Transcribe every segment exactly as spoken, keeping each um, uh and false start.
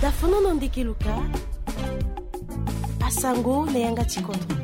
Dafono na ndeke luka. Asango na yanga ti kodro.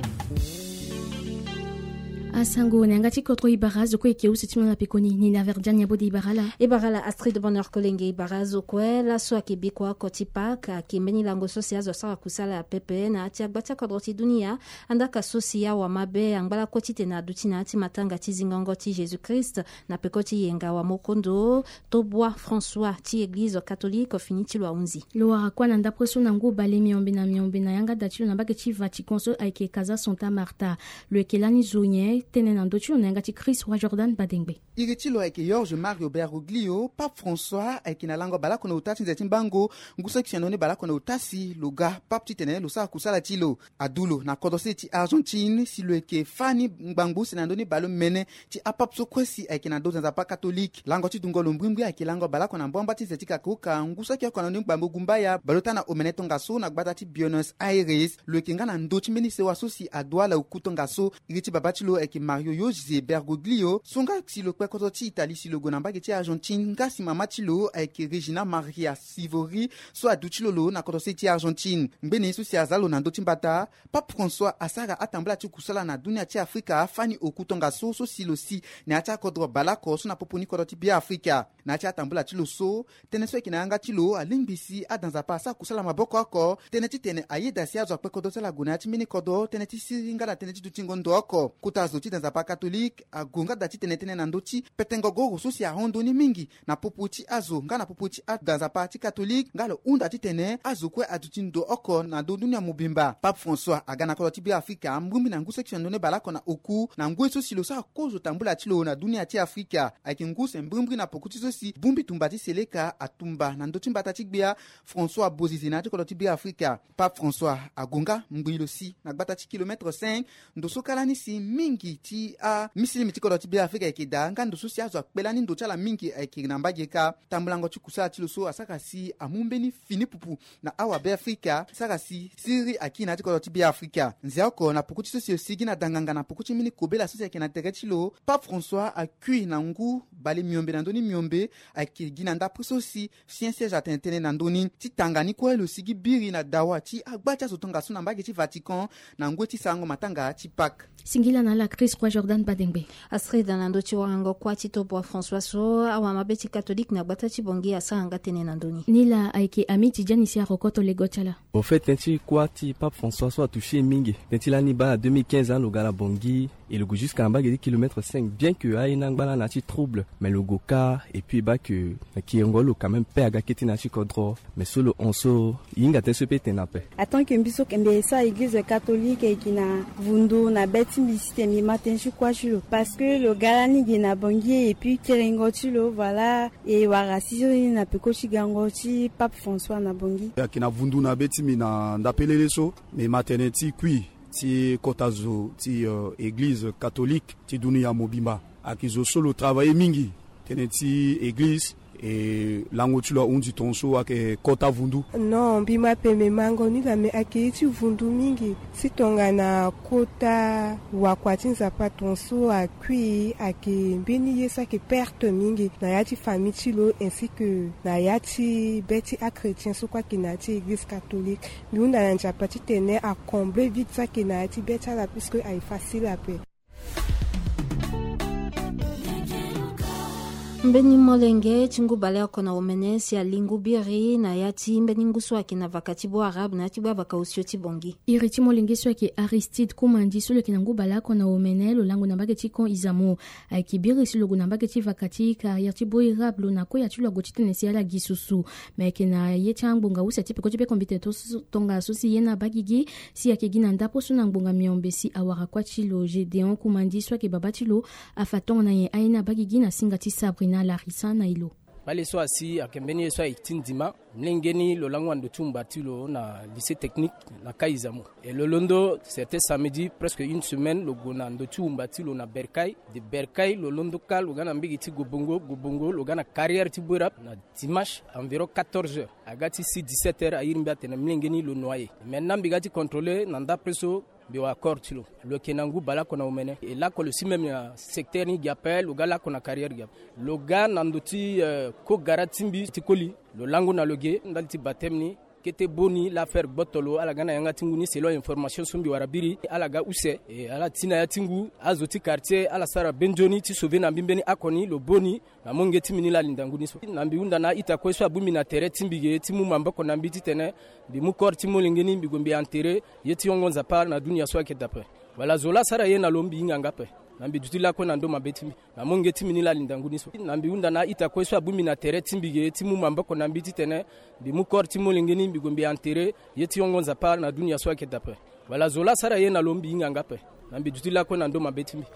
Asango na yanga ti kodro. E bara azo kue e ke use ti mo na pekoni ni na Verdiane Abode. E bara ala. E bara ala Astrid Bonheur Kolenge. E bara azo kue laso ayeke bikua oko ti Pâques, ayeke mbeni lango so si azo asara kusala pepe na ya ti agba ti akodro ti dunia. Andaa ka so si awamabe angba lakue titene aduti na ya ti matanga ti zingongo ti Jésus Christ na peko ti yenga wamokondo Tobwa François ti eglize catholique fini ti lo ahunzi. Lo wara kuâ na ndapre so na ngu bale miombe na miombe na yanga da ti lo na mbage ti Vatican so ayeke Casa Santa Marta. Lo yeke lani zo nyen? Tene na ndö ti lo na yanga ti Chris Roi Jordan Badengbe. Iri ti lo ayeke Jorge Mario Bergoglio. Pape François ayeke na lango baleoko na ota ti nze ti mbango ngu saki sian na ni baleoko na ota si lo ga pape titene lo sara kusala ti lo. Adu lo na kodro sese ti Argentine si lo yeke fâ ni ngbangbo use na ndö ni baleomene ti apape so kue si ayeke na ndö ti nzapa katolike. Lango ti dungo lo mbrimbri ayeke lango baleoko na mbuamba ti nze ti kakoka ngu saki oko na ndö ni ngbangbo gumbaya baleota na omene tongaso na gbata ti Buenos Aires. Lo yeke nga na ndö ti mbeni sewa so si aduala oku tongaso. Iri ti babâ ti lo ayeke Mario José Bergoglio so nga si lo kpe kodro ti Italie si lo gue na mbage ti Argentine nga si mama ti lo ayeke Regina Maria Sivori so aduti lo lo na kodro sese ti Argentine. Ngbene ye so si aza lo na ndö ti mbata, Pape François asara atambula ti kusala na dunia ti Afrika fani oku tongaso so si lo si na ya ti akodro baleoko so na popo ni kodro ti Beafrika. Na ya ti atambula ti lo so, tënë so ayeke na yanga ti lo alingbi si ada nzapa asara kusala maboko oko tënë titene ayeda si azo akpe kodro ti ala gue na ya ti mbeni kodro tënë ti siriri nga na tënë ti dutingo ndo oko. Kota zo ti da nzapa katolike ague nga da titene tënë na ndö ti petengo goro so si ahon ndo ni mingi na popo ti azo nga na popo ti ada nzapa ti katolike nga lo hunda titene azo kue aduti ndo oko na ndö dunia mobimba. Pape François aga na kodro ti Beafrika mbrimbri na ngu seki sian ndoni baleoko na oku na ngoi so si lo sara kozo tambula ti lo na dunia ti Afrika. Ayeke ngu se mbrimbri na poko ti so si bongbi tumba ti seleka atumba na ndö ti mbata ti gbia François Bozizé na ya ti kodro ti Beafrika. Pape François ague nga ngbii lo si na gbata ti kilomètre cinq. Ndo so kâ lani si mingi ti amisilimi ti kodro ti Beafrika ayeke daa nga ndo so si azo akpe lani ndo ti ala mingi ayeke na mbage kâ. Tambulango ti kusala ti lo so asara si amu mbeni fini pupu na awa Beafrika sara si siriri akiri na ya ti kodro ti Beafrika. Nzia oko na poko ti so si lo sigi na danganga na poko ti mbeni kobela so si ayeke na tere ti lo, Pape François akui na ngu bale miombe na ndö ni miombe. Ayeke gi na ndapre so si Saint Siège atene tënë na ndö ni ti tanga ni kue lo sigi biri na dawa ti agba ti azo tongaso na mbage ti Vatican na ngoi ti sarango matanga ti Pâques. Singila na ala Chris Roi Jordan Badengbe. Astrid, na ndö ti warango kuâ ti Tobwa François so awamabe ti katolike na gbata ti Bangui asara nga tënë na ndö ni. Ni laa ayeke Ami Tidjani si arokoto lego ti ala. Au fait, tënë ti kuâ ti Pape François so atouché e mingi. Tënë ti lani baa na deux mille quinze, hein, lo ga na Bangui et lo gue jusqu'à na mbage ti kilomètre cinq, bien que aye ni angba lani na ya ti trouble, mais lo gue kâ et puis baa que na kiringo lo quand même paix aga kete na ya ti kodro. Mais so lo hon so, e hinga tënë so e peut tene ape. En tant que mbi so mbi sara église catholique, e gi na vundu na be ti mbi si tene mbi ma tënë ti kuâ ti lo, parce que lo ga lani ge na Bangui et puis kiringo ti lo, voilà, e wara siriri na peko ti gango ti Pape François na Bangui. Ayeke na vundu na be ti mbi na ndapelele so, mbi ma tënë ti kui ti kota zo ti, euh, église catholique ti dunia mobimba. Ayeke zo so lo travailler mingi tënë ti église, e lango ti lo ahunzi tongaso ayeke kota vundu. Non, mbi ma pembe mango ni laa, me ayeke ye ti vundu mingi. Si tongana kota wakua ti Nzapa tongaso akui, ayeke mbeni ye so ayeke perte mingi na ya ti famille ti lo, ainsi que na ya ti be ti achrétien so kue ayeke na ya ti église catholique. Mbi hunda na nzapa titene acombler vide so ayeke na ya ti be ti ala, puisque aye facile ape. Mbeni molenge ti ngu baleoko na omene si ali ngu biri na ya ti mbeni ngu so ayeke na vaka ti Beau-Arabe na ya ti gbavaka osio ti Bangui. Iri ti molenge so ayeke Aristide Koumandi so lo yeke na ngu baleoko na omene, lo lango na mbage ti Camp Izamo. Ayeke biri si lo gue na mbage ti vaka ti carrière ti Beau-Arabe, lo na koya ti lo ague titene si ala gi susu. Me ayeke na ye ti angbonga use ti peko ti be kombite to- tongaso si ye ni abaa gigi. Si ayeke gi na ndapre so na ngbonga miombe si awara kuâ ti lo Gédéon Koumandi so ayeke babâ ti lo afa tongana nyen aye ni abaa gigi na singa ti Sabrina Larissa na e lo. Bale so asi ayeke mbeni ye so aye ti ndima. Mlenge ni lo lango na ndo ti wumba ti lo na lycée technique na Camp Izamo. E lo londo, c'était samedi, presque une semaine, lo gue na ndo ti wumba ti lo na Bercail. De Bercail lo londo kâ lo ga na mbage ti Gobongo, Gobongo lo ga na carrière ti Beau-Arabe na dimanche environ quatorze heures. Aga ti si dix-sept heures, airi mbi atene mlenge ni lo noyé. Maintenant mbi ga ti contrôler na ndapre so, mbi wara corps ti lo. Lo yeke na ngu baleoko na omene. E lako lo si même na secteur ni gi ape, lo ga lako na carrière gi ape. Lo ga na ndo ti, euh, ko gara ti mbi ti koli. Lo lango na lo ge ndali ti baptême ni. Kete boni la affaire gboto lo ala ga na yanga ti ngu ni selon information so mbi wara biri ala ga use. E ala ti na ya ti ngu azo ti quartier ala sara be nzoni ti sauver na mbi mbeni oko ni lo boni. Na molenge ti mbi ni la alinda ngu ni so na mbi hunda na a-ita kue so abongbi na tere ti mbi ge ti mu maboko na mbi titene mbi mu corps ti molenge ni mbi gue mbi enterrer ye ti yongo Nzapa na dunia so ayeke daa ape. Wala zo la asara ye na lo mbi hinga nga ape. Na mbi duti lakue na ndo mabe ti mbi na molenge ti mbi ni la alinda ngu ni so na mbi hunda na a-ita kue so abongbi na tere ti mbi ge ti mu maboko na mbi titene mbi mu corps ti molenge ni mbi gue mbi enterrer ye ti yongo Nzapa na dunia so ayeke daa ape. Wala zo la asara ye na lo mbi hinga nga ape. Na mbi duti lakue na ndo mabe ti mbi.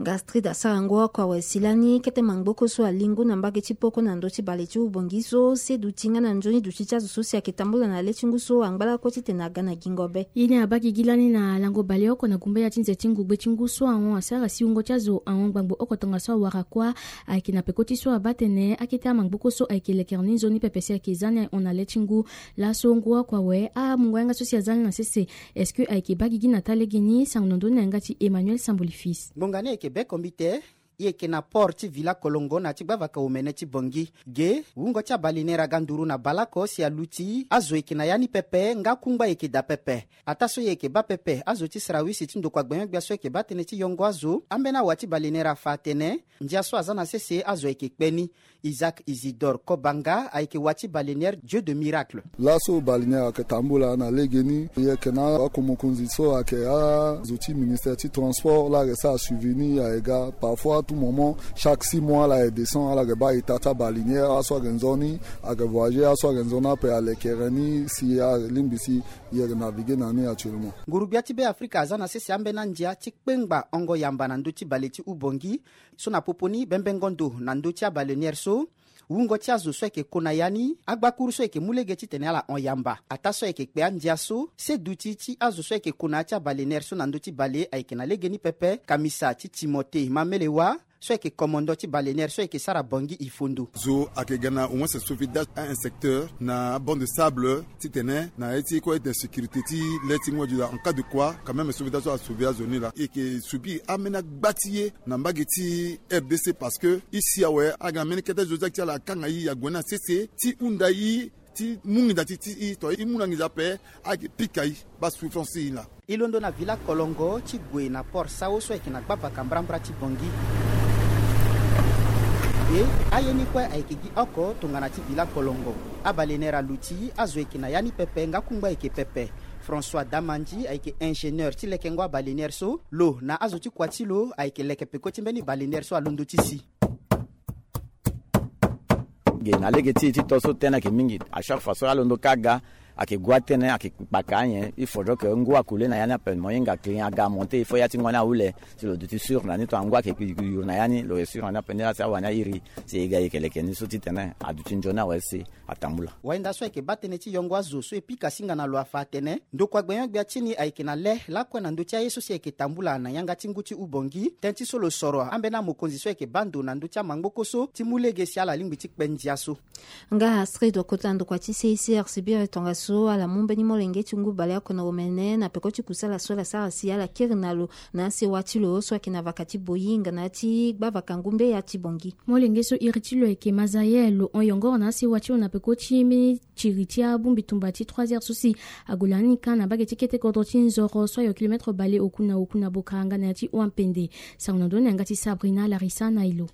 Nga Astrid asara ngu oko awe si lani kete mangboko so alingo na mbage ti poko na ndö ti bale ti Ubongi so se duti nga na nzoni duti ti azo so si ayeke tambula na le ti ngu so angba lakue titene aga na gingo be. Ye ni abaa gigi lani na lango baleoko na gumba ya ti nze ti ngugbe ti ngu so ahon asara si wungo ti azo ahon gbangbo oko tongaso awara kuâ. Ayeke na peko ti so abaa atene akete amangboko so ayeke lekere ni nzoni pepe si ayeke za ni ahon na le ti ngu. Laso ngu oko awe amungo yanga so si aza ni na sese. Est-ce que ayeke baa gigi na taa legeni? Sango na ndö ni na yanga ti Emmanuel Samboli Fils. Ngbonga ni ayeke be kombite. E yeke na port ti Villa Kolongo na ya ti gbavaka omene ti Bangui. Ge wungo ti abalener aga nduru na baleoko si aluti azo yeke na ya ni pepe nga kungba yeke daa pepe. Ataa so e yeke baa pepe azo ti sarawisi ti ndokua gbenyo-gbia so ayeke baa tënë ti yongo azo. Ambeni awa ti balener afa atene ndia so aza na sese azo ayeke kpe ni. Isaac Isidore Kobanga ayeke wa ti balener Dieu de Miracle. Laso balener ayeke tambula na legeni e yeke na akomokonzi so ayeke azo ti ministère ti transport la ayeke sara suivi ni ayeke ga parfois tout moment chaque six mois la ayeke descend ala yeke baa ita ti abalener aso ayeke nzoni ayeke voyager aso ayeke nzoni ape alekere ni si alingbi si e yeke naviguer na ni actuellement. Nguru-gbia ti Beafrika aza na sese ambeni andia ti kpengba hongo yamba na ndö ti bale ti Ubongi. So na popo ni bembengo ndo na ndö ti abalener so wungo ti azo so ayeke kona ya ni agbakuru so ayeke mu lege titene ala hon yamba. Ataa so ayeke kpe andia so se duti ti azo so ayeke kona ya ti abalener so na ndö ti bale ayeke na legeni pepe kamisa ti Timothée Mamelewa so ayeke komondo ti balener so ayeke sara Bangui Ifondo. Zo ayeke ga na au moins sauvetage à un secteur na banc de sable titene na ye ti kue ete sécurité ti le ti ngu ajuda en cas de quoi quand même sauvetage so asauver azo ni laa e yeke subir ambeni agba ti ye na mbage ti R D C parce que e si awe aga na mbeni kete zo ti ala kanga e ague ni na sese ti hunda e ti mu nginza ti ti e to e mu na nginza ape. Ayeke pika e baa souffrance e laa. E londo na Villa Kolongo ti gue na port Sao so ayeke na gbavaka mbrambra ti Bangui. E aye ni kue ayeke gi oko tongana ti Villa Kolongo. Abalener aluti azo ayeke na ya ni pepe nga kungba ayeke pepe. François Damandi ayeke ingénieur ti lekengo abalener so. Lo na azo ti kua ti lo ayeke leke peko ti mbeni balener so alondo ti si. Ge na lege ti e ti to so tënë ayeke mingi. À chaque fois so alondo kâ aga ayeke gua tënë ayeke kpaka anyen. Il faudrait que ngu akule na ya ni ape mo hinga client aga amonte il faut ya ti ngua ni ahule. Si lo duti sûr na ni tongana ngu ayeke yuru na ya ni lo yeke sûr na ni ape ni laa si awani airi si e ga e yeke leke ni so titene aduti nzoni awe si atambula. Wahinda so ayeke baa tënë ti yongo azo so e pika singa na lo afa atene ndokua gbenyo-gbia ti ni ayeke na le lakue na ndö ti aye so si ayeke tambula na yanga ti ngu ti Ubongi. Tënë ti so lo soro ambeni amokonzi so ayeke baa ndo na ndö ti amangboko so ti mu lege si ala lingbi ti kpe ndia so. Nga Astrid kota ndokua ti C I C R sibiri tongaso ala mu mbeni molenge ti ngu baleoko na omene na peko ti kusala so ala sara si ala kiri na lo na asewa ti lo so ayeke na vaka ti Boyinga na ya ti gbavaka ngumbe ya ti Bangui. Molenge so iri ti lo ayeke Mazael lo hon yongoro na asewa ti lo na peko ti mbeni tiri ti abongbi tumba ti trois heures so si ague lani kâ na mbage ti kete kodro ti Nzoro so ayo kilomètre bale oku na oku na Bokaranga na ya ti Oampende. Sango na ndö ni na yanga ti Sabrina Larissa na e lo.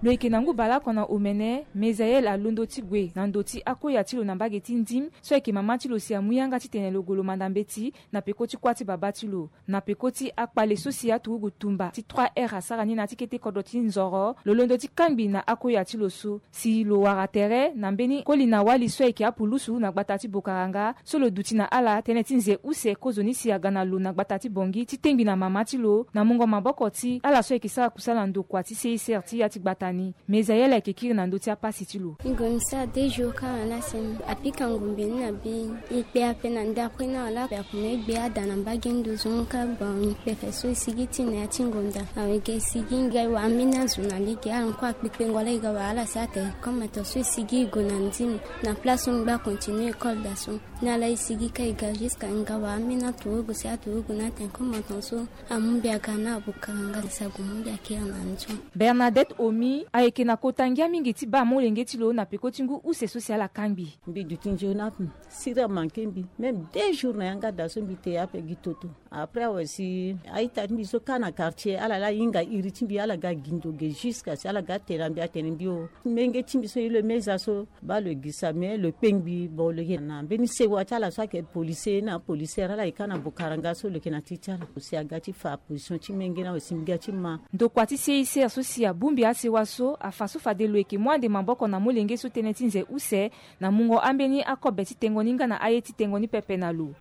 Lo yeke na ngu baleoko na omene, Mezael alondo ti gue na ndo ti akoya ti lo na mbage ti Ndim so ayeke mama ti lo si amu yanga titene lo gue lo manda mbeti na peko ti kuâ ti babâ ti lo. Na peko ti akpale so si aturugu tumba ti trois heures asara ni na ya ti kete kodro ti Nzoro, lo londo ti kangbi na akoya ti lo so. Si lo wara tere na mbeni koli na wali so ayeke apulusu na gbata ti Bokaranga so lo duti na ala tënë ti nze use kozoni si aga na lo na gbata ti Bangui ti tengbi na mama ti lo na mungo maboko ti ala so ayeke sara kusala na ndokua ti C I C R ti ya ti gbata ni. Mezael ayeke kiri na ndö ti apasi ti lo. Ngonza deux jours kâ wala semaine apika ngumbe ni na be. E kpe ape na ndapre ni awe laa ape akomo e gbe ada na mbage nduzu ni kâ. Bon, e kpe ape so e sigi ti na ya ti ngonda awe ge e sigi nga e wara ambeni azo na lege ala kue akpekpengo laa e ga wara ala si atene comme ato so e sigi e gue na Ndim na place so e ngba continue école daa so. Ni ala e sigi kâ e ga jusqu'à e nga wara ambeni aturugu si aturugu ni atene comme ato so amu mbi aga na Bokaranga si ague mu mbi akiri na nzoni. Bernadette Omi Ayeke na kota ngia mingi ti baa molenge ti lo na peko ti ngu use so si ala kangbi. Mbi duti nzoni ape. Siri amanke mbi. Même deux jours na yanga daa so mbi te ape gi toto. Après awe si a-ita ti mbi so kâ na quartier, ala laa ahinga iri ti mbi, ala ga gi ndo ge jusqu'à si ala ga tene na mbi atene mbi o. Menge ti mbi so ye lo meza so, baa lo gi sa, mais lo kpe ngbi, bon, lo yeke na mbeni sewa ti ala so ayeke policier na apolicière, ala yeke kâ na bokaranga so lo yeke na ti ti ala. Lo si aga ti fa position ti menge ni awe si mbi ga ti ma. Ndokua ti C I C R so si abongbi asewa so afa so fade lo yeke mu ande maboko na molenge so tënë ti nze use na mungo ambeni akobe ti tengo ni nga na aye ti tengo ni pepe na lo.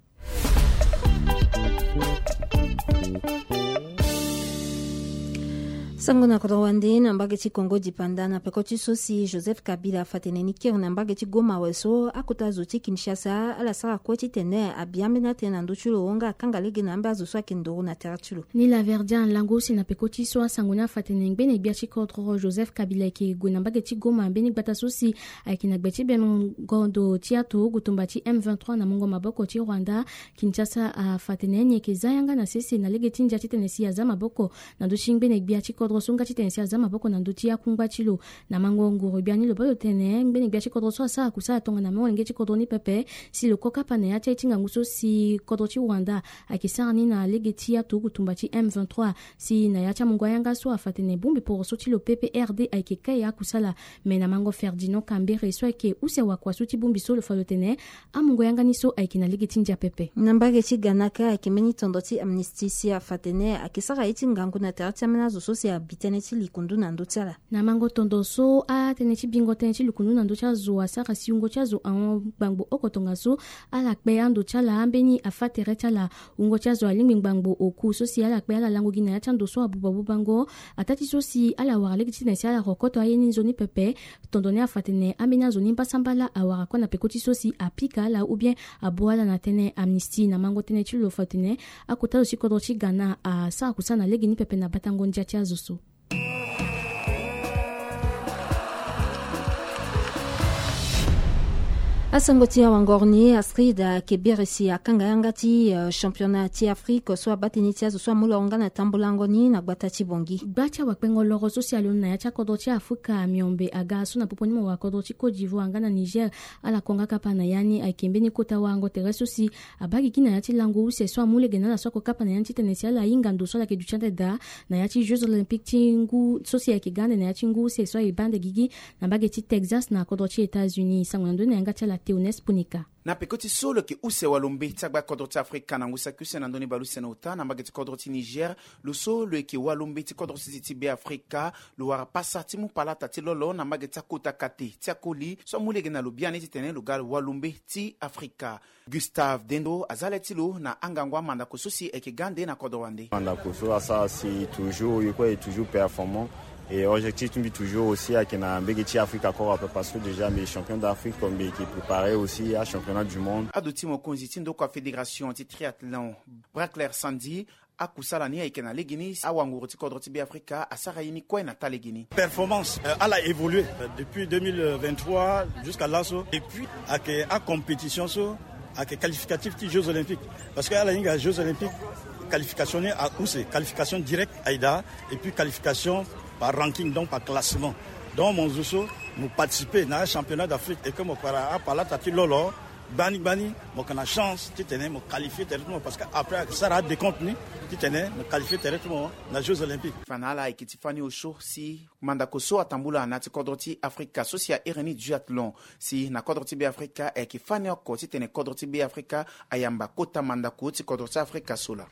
Sango na kodro wande na mbage ti Congo dipanda na peko ti so si Joseph Kabila afa tene ni kiri na mbage ti Goma awe so akota zo ti Kinshasa ala sara kue titene abi ambeni atënë na ndö ti lo nga akanga lege na ambeni azo so ayeke nduru na tere ti lo. Ni la Verdian lango use na peko ti so asango ni afa tene ngbene gbia ti kodro Joseph Kabila ayeke gue na mbage ti Goma mbeni gbata so si ayeke na gbe ti bembengo ndo ti aturugu tumba ti M vingt-trois na mungo maboko ti Rwanda. Kinshasa afa tene ni ayeke za yanga na sese na lege ti ndia titene si aza maboko na ndö ti ngbene gbia ti kodro so nga titene si aza maboko na ndö ti akungba ti lo. Na mango nguru gbia ni lo baa lo tene ngbene gbia ti kodro so asara kusala tongana molenge ti kodro ni pepe si lo ko kapa na ya ti aye ti ngangu so si kodro ti Rwanda ayeke sara ni na lege ti aturugu tumba ti M vingt-trois. Si na ya ti amungo ayanga so afa tene bongbi poroso ti lo P P R D ayeke kai akusala. Me na mango Ferdinand Kambere so ayeke use wakua so ti bongbi so lo fa lo tene amungo yanga ni so ayeke na lege ti ndia pepe. Na mbage ti Ghana kâ ayeke mbeni tondo ti Amnesty si afa tene ayeke sara ye ti ngangu na tere ti ambeni azo so si abi tënë ti likundu na ndö ti ala. Na mango tondo so atënë ti bingo tënë ti likundu na ndö ti azo asara si wungo ti azo ahon gbangbo oko tongaso ala kpe ando ti ala ambeni afa tere ti ala. Wungo ti azo alingbi ngbangbo oku so si ala kpe ala lango gi na ya ti ando so abuba bubango. Ataa ti so si ala wara lege titene si ala rokoto aye ni nzoni pepe. Tondo ni afa tene ambeni azo ni mbasambala awara kue na peko ti so si apika ala ou bien abo ala na tënë. Amnesty na mango tënë ti lo fa tene akota zo ti kodro ti Ghana asara kusala na lege ni pepe na batango ndia ti azo so. Asango ti awangoro ni, Astrid ayeke biri si akanga yanga ti, eh, championnat ti Afrique so abaa tënë ti azo so amu loro nga na tambulango ni na gbata ti Bangui. Gba ti awakpengo loro so si alondo na ya ti akodro ti Afrika miombe aga so na popo ni mo wara kodro ti Côte d'Ivoire nga na Niger. Ala ko nga kapa na ya ni ayeke mbeni kota warango tere so si abaa gigi na ya ti lango use so amu lege na ala so ako kapa na ya ni titene si ala hinga ndo so ala yeke duti ande daa na ya ti Jeux Olympiques ti ngu so si ayeke ga ande na ya ti ngu use so aye baa ande gigi na mbage ti Texas na kodro ti États-Unis. Sango na ndoni na yanga ti ala Théoneste Punika. Na peko ti so lo yeke use walombe ti agba kodro ti Afrika na ngu saki use na ndoni bale use na ota na mbage ti kodro ti Niger, lo so lo yeke walombe ti kodro ti zi ti Be Afrika, lo wara pasa ti mu palata ti lolo na mbage ti akota kate ti akoli so amu lege na lo biani titene lo ga walombe ti Afrika. Gustave Dendo aza le ti lo na angangu amandako so si ayeke ga ande na kodro wande. Mandako so asara si toujours ye kue est toujours performant. Et objectif ti mbi toujours aussi ayeke na mbage ti Afrique encore ape parce que déjà mbi champion d'Afrique, comme mbi yeke préparer aussi à championnat du monde. Ado ti mokonzi ti ndokua fédération ti triathlon, Braclair Sandy, akusala ni ayeke na legeni, awanguru ti kodro ti Be Afrika asara ye ni kue na taa legeni. Performance, euh, ala évolué, euh, depuis deux mille vingt-trois jusqu'à laso. Et puis ayeke acompétition so ayeke qualificatif ti Jeux Olympiques. Parce que ala hinga Jeux Olympiques, qualification ni ause, qualification directe aye daa, et puis qualification par ranking, donc par classement. Donc mo zo so mo participer na championnat d'Afrique et que mo kpara apalata ti lolo, gbani gbani mo yeke na chance titene mo qualifier tere ti mo, parce que après ayeke sara adécompte ni titene mo qualifier tere ti mo na Jeux Olympiques. Fa na ala ayeke ti fani osio si mandako so atambula na ya ti kodro ti Afrika so si a iri ni duathlon. Si na kodro ti Be Afrika ayeke fani oko titene kodro ti Be Afrika ayamba kota mandako ti kodro ti Afrika so laa.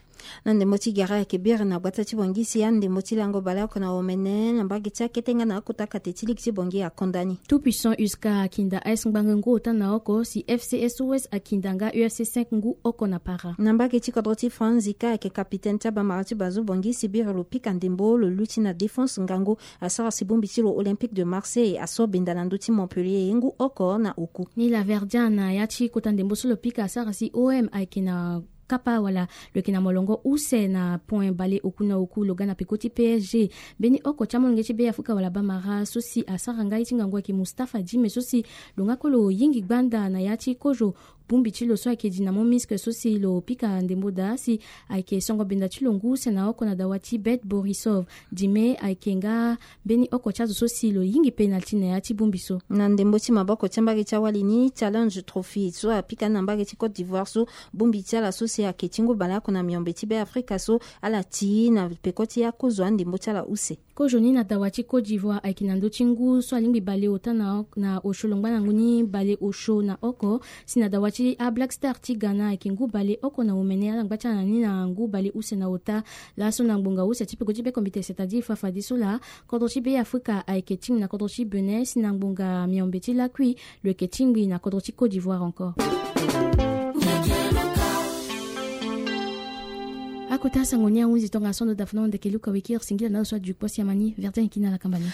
Na ndembo ti gere ayeke biri na gbata ti Bangui si andembo ti lango baleoko na omene na mbage ti akete nga na akota kate ti ligi ti Bangui akonda ni. Tout puissant U S K akinda A S Ngbangue ngu ota na oko si F C S O S akinda nga U F C cinq ngu oko na para. Na mbage ti kodro ti France, Zika ayeke capitaine ti abamara ti Bazo Bangui si biri lo pika ndembo lo luti na Défense Ngangu asara si bongbi ti lo Olympique de Marseille aso benda na ndö ti Montpellier ngu oko na oku. Ni la Verdian na ya ti kota ndembo so lo pika asara si O M ayeke na kapa wala lo yeke na molongo use na point bale oku na oku lo ga na peko ti P S G. Mbeni oko ti amolenge ti Be Afrika wala bamara so si asara nga ye ti ngangu ayeke Mustapha Djime so si lo nga kue lo yingi gbanda na ya ti kozo Bongbi ti lo so ayeke dinamo Minsk so si lo pika ndembo daa si ayeke songo benda ti lo ngu use na oko na dawa ti Bet Borisov. Dime ayeke nga mbeni oko ti azo so si lo yingi penalti na ya ti bongbi so. Na ndembo ti maboko ti ambage ti awali ni, Challenge Trophy so apika ni na mbage ti Côte d'Ivoire so, bongbi ti ala so si ayeke ti ngu baleoko na miombe ti Be Afrika so, ala ti na peko ti akozo andembo ti ala use. Kozo ni na dawa ti Côte d'Ivoire ayeke na ndö ti ngu so alingbi bale ota na, na osio longba na ngu ni bale osio na oko, si na dawa ti aBlack Star ti Ghana ayeke ngu bale oko na omene, ala ngba ti ala na ni na ngu bale use na ota. Laso na ngbonga use ti peko ti be kombite, c'est-à-dire fafadeso laa, kodro ti Be Afrika ayeke tingbi na kodro ti Bénin, si na ngbonga miombe ti lakui lo yeke tingbi na kodro ti Côte d'Ivoire encore. Akota sango ni ahunzi tongaso ndo dafa na ndeke luka wekiri singila na lo so aduti kpo si amani. Verdien yeke na ala kamba ni.